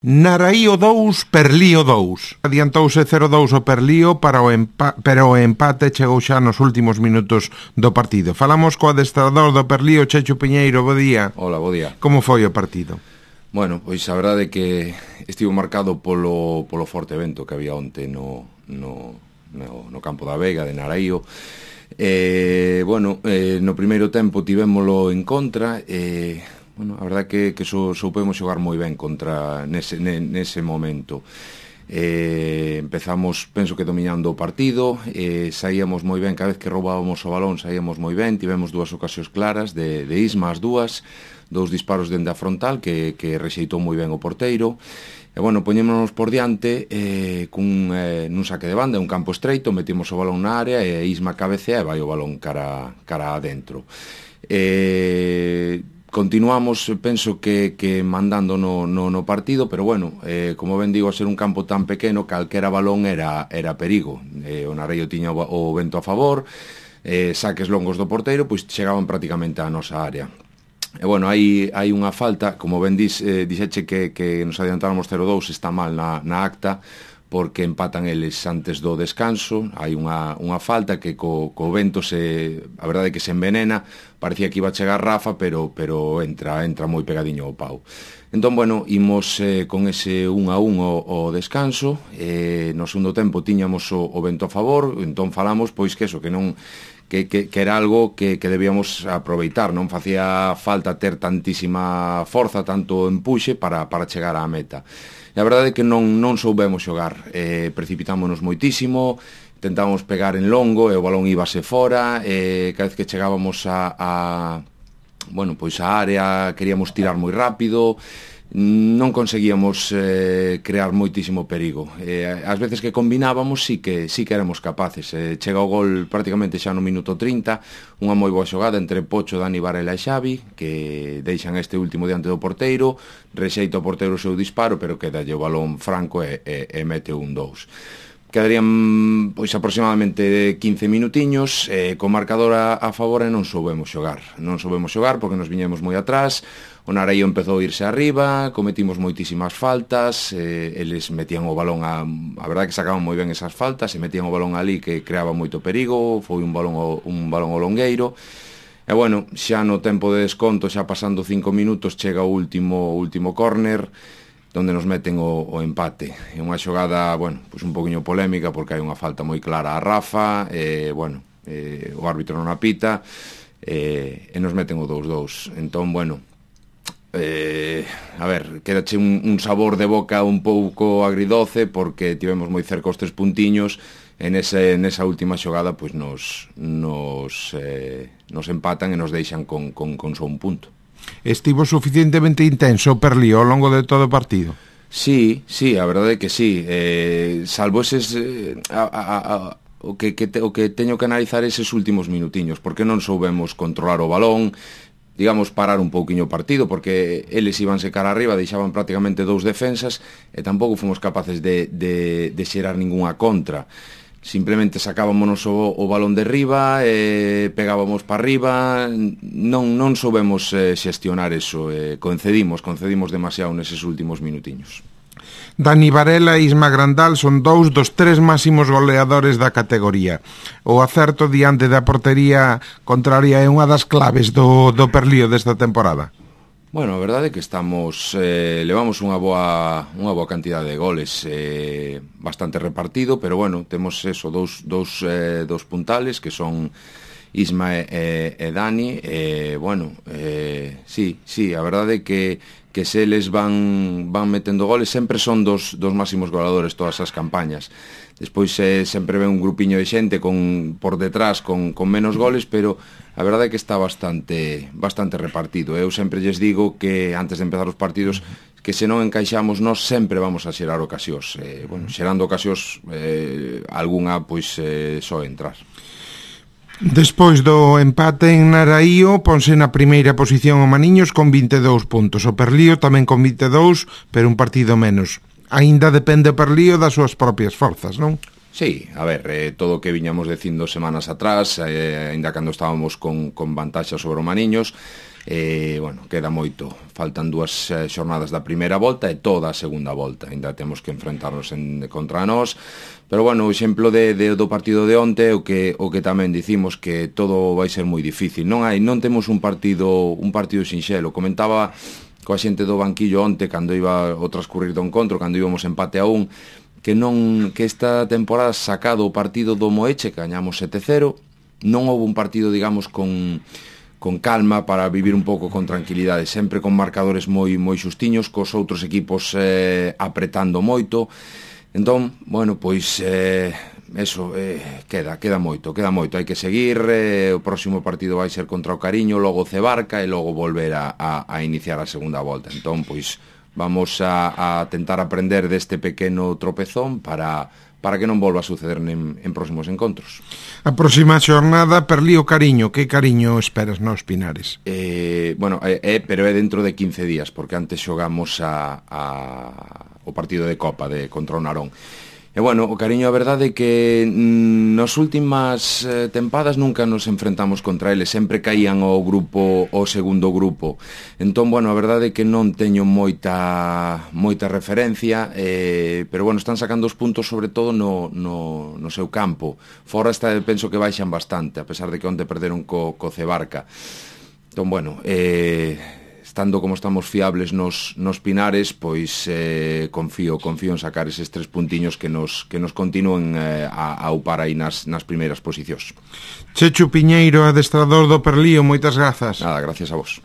Naraío 2, Perlío 2. Adiantouse 0-2 o Perlío pero o empate chegou xa nos últimos minutos do partido. Falamos co adestrador do Perlío, Checho Piñeiro. Bo día. Hola, bo día. Como foi o partido? Bueno, pois a verdade é que estivo marcado polo forte vento que había onte no campo da Vega de Naraío. No primeiro tempo tivémolo en contra. A verdade que soupemos xogar moi ben contra nese momento. Empezamos, penso que dominando o partido, saíamos moi ben, cada vez que roubábamos o balón saíamos moi ben, tivemos dúas ocasións claras de Isma, as dúas, dous disparos dende a frontal que rexeitou moi ben o porteiro. Poñémonos por diante nun saque de banda, un campo estreito, metimos o balón na área e Isma cabecea e vai o balón cara adentro. Continuamos, penso que mandando no partido, pero como ben digo, a ser un campo tan pequeno, calquera balón era perigo. O Naraío tiña o vento a favor, saques longos do porteiro, pois chegaban prácticamente á nosa área. Hai unha falta, como ben dixeche que nos adiantáramos 0-2, está mal na acta, porque empatan eles antes do descanso. Hai unha falta que co vento a verdade é que se envenena, parecía que iba a chegar Rafa, pero entra moi pegadiño ao pau. Entón, imos con ese 1-1 o descanso. No segundo tempo tiñamos o vento a favor, entón falamos pois que era algo que debíamos aproveitar, non facía falta ter tantísima forza, tanto empuxe para chegar á meta. E a verdade é que non soubemos xogar, precipitámonos moitísimo, tentábamos pegar en longo e o balón íbase fora, cada vez que chegábamos á área queríamos tirar moi rápido, non conseguíamos crear moitísimo perigo. As veces que combinábamos sí que éramos capaces. Chega o gol prácticamente xa no minuto 30, unha moi boa xogada entre Pocho, Dani Varela e Xavi, que deixan este último diante do porteiro, rexeita o porteiro o seu disparo, pero quedalle o balón franco e mete un 2. Quedarían aproximadamente 15 minutiños, co marcador a favor, e non soubemos xogar porque nos viñemos moi atrás. O Naraío empezou a irse arriba, cometimos moitísimas faltas, eles metían o balón a verdade que sacaban moi ben esas faltas, e metían o balón ali que creaba moito perigo, foi un balón ao longueiro. Xa no tempo de desconto, xa pasando 5 minutos, chega o último córner, donde nos meten o empate. É unha xogada, un poquinho polémica, porque hai unha falta moi clara a Rafa, o árbitro non apita, e nos meten o 2-2. Entón, quedache un sabor de boca un pouco agridoce, porque tivemos moi cerca os 3 puntiños, e nesa última xogada nos empatan e nos deixan con só un punto. Estivo suficientemente intenso o Perlío ao longo de todo o partido? Sí, a verdade é que sí. Salvo eses o que teño que analizar eses últimos minutiños, porque non soubemos controlar o balón, digamos, parar un pouquiño o partido, porque eles ibanse cara arriba, deixaban prácticamente 2 defensas e tampouco fomos capaces de xerar ningunha contra. Simplemente sacábamos o balón de riba, pegábamos para arriba, non soubemos xestionar eso, concedimos demasiado neses últimos minutiños. Dani Varela e Isma Grandal son 2 dos 3 máximos goleadores da categoría. O acerto diante da portería contraria é unha das claves do Perlío desta temporada. A verdade é que levamos unha boa cantidade de goles, bastante repartido, pero temos eso, dous puntales que son Isma e Dani. Sí, a verdade é que se eles van metendo goles, sempre son dos máximos goleadores todas as campañas. Despois sempre ven un grupiño de xente por detrás con menos goles, pero a verdade é que está bastante repartido. Eu sempre lles digo que antes de empezar os partidos, que se non encaixamos nós sempre vamos a xerar ocasións. Xerando ocasións, algunha só entrar. Despois do empate en Naraío, ponse na primeira posición o Maniños con 22 puntos. O Perlío tamén con 22, pero un partido menos. Aínda depende o Perlío das súas propias forzas, non? Sí, a ver, todo o que viñamos dicindo semanas atrás, aínda cando estábamos con vantaxa sobre o Maniños, bueno, queda moito, faltan 2 xornadas da primeira volta e toda a segunda volta, ainda temos que enfrentarnos contra nós, pero bueno, o exemplo do partido de onte o que tamén dicimos que todo vai ser moi difícil, non temos un partido sinxelo. Comentaba coa xente do banquillo onte cando iba o transcurrir do encontro, cando íbamos empate a 1, que esta temporada sacado o partido do Moeche, que gañamos 7-0, non houve un partido, digamos, con calma para vivir un pouco con tranquilidade, sempre con marcadores moi xustiños, cos outros equipos apretando moito. Entón, bueno, pois eso, queda moito, hai que seguir, o próximo partido vai ser contra o Cariño, logo Cebarca e logo volver a iniciar a segunda volta. Entón, pois, vamos a tentar aprender deste pequeno tropezón para que non volva a suceder en próximos encontros. A próxima xornada, Perlío Cariño, que Cariño esperas nos Pinares? Bueno, pero é dentro de 15 días, porque antes xogamos o partido de Copa contra o Narón. E bueno, o Cariño, a verdade é que nas últimas tempadas nunca nos enfrentamos contra eles, sempre caían o segundo grupo. Entón, bueno, a verdade é que non teño moita referencia, pero bueno, están sacando os puntos sobre todo no seu campo. Fora penso que baixan bastante, a pesar de que onte perderon co Cebarca. Entón, bueno, estando como estamos fiables nos Pinares, pois confío en sacar eses 3 puntiños que nos continúen a upar aí nas primeiras posicións. Chechu Piñeiro, adestrador do Perlío, moitas grazas. Nada, gracias a vos.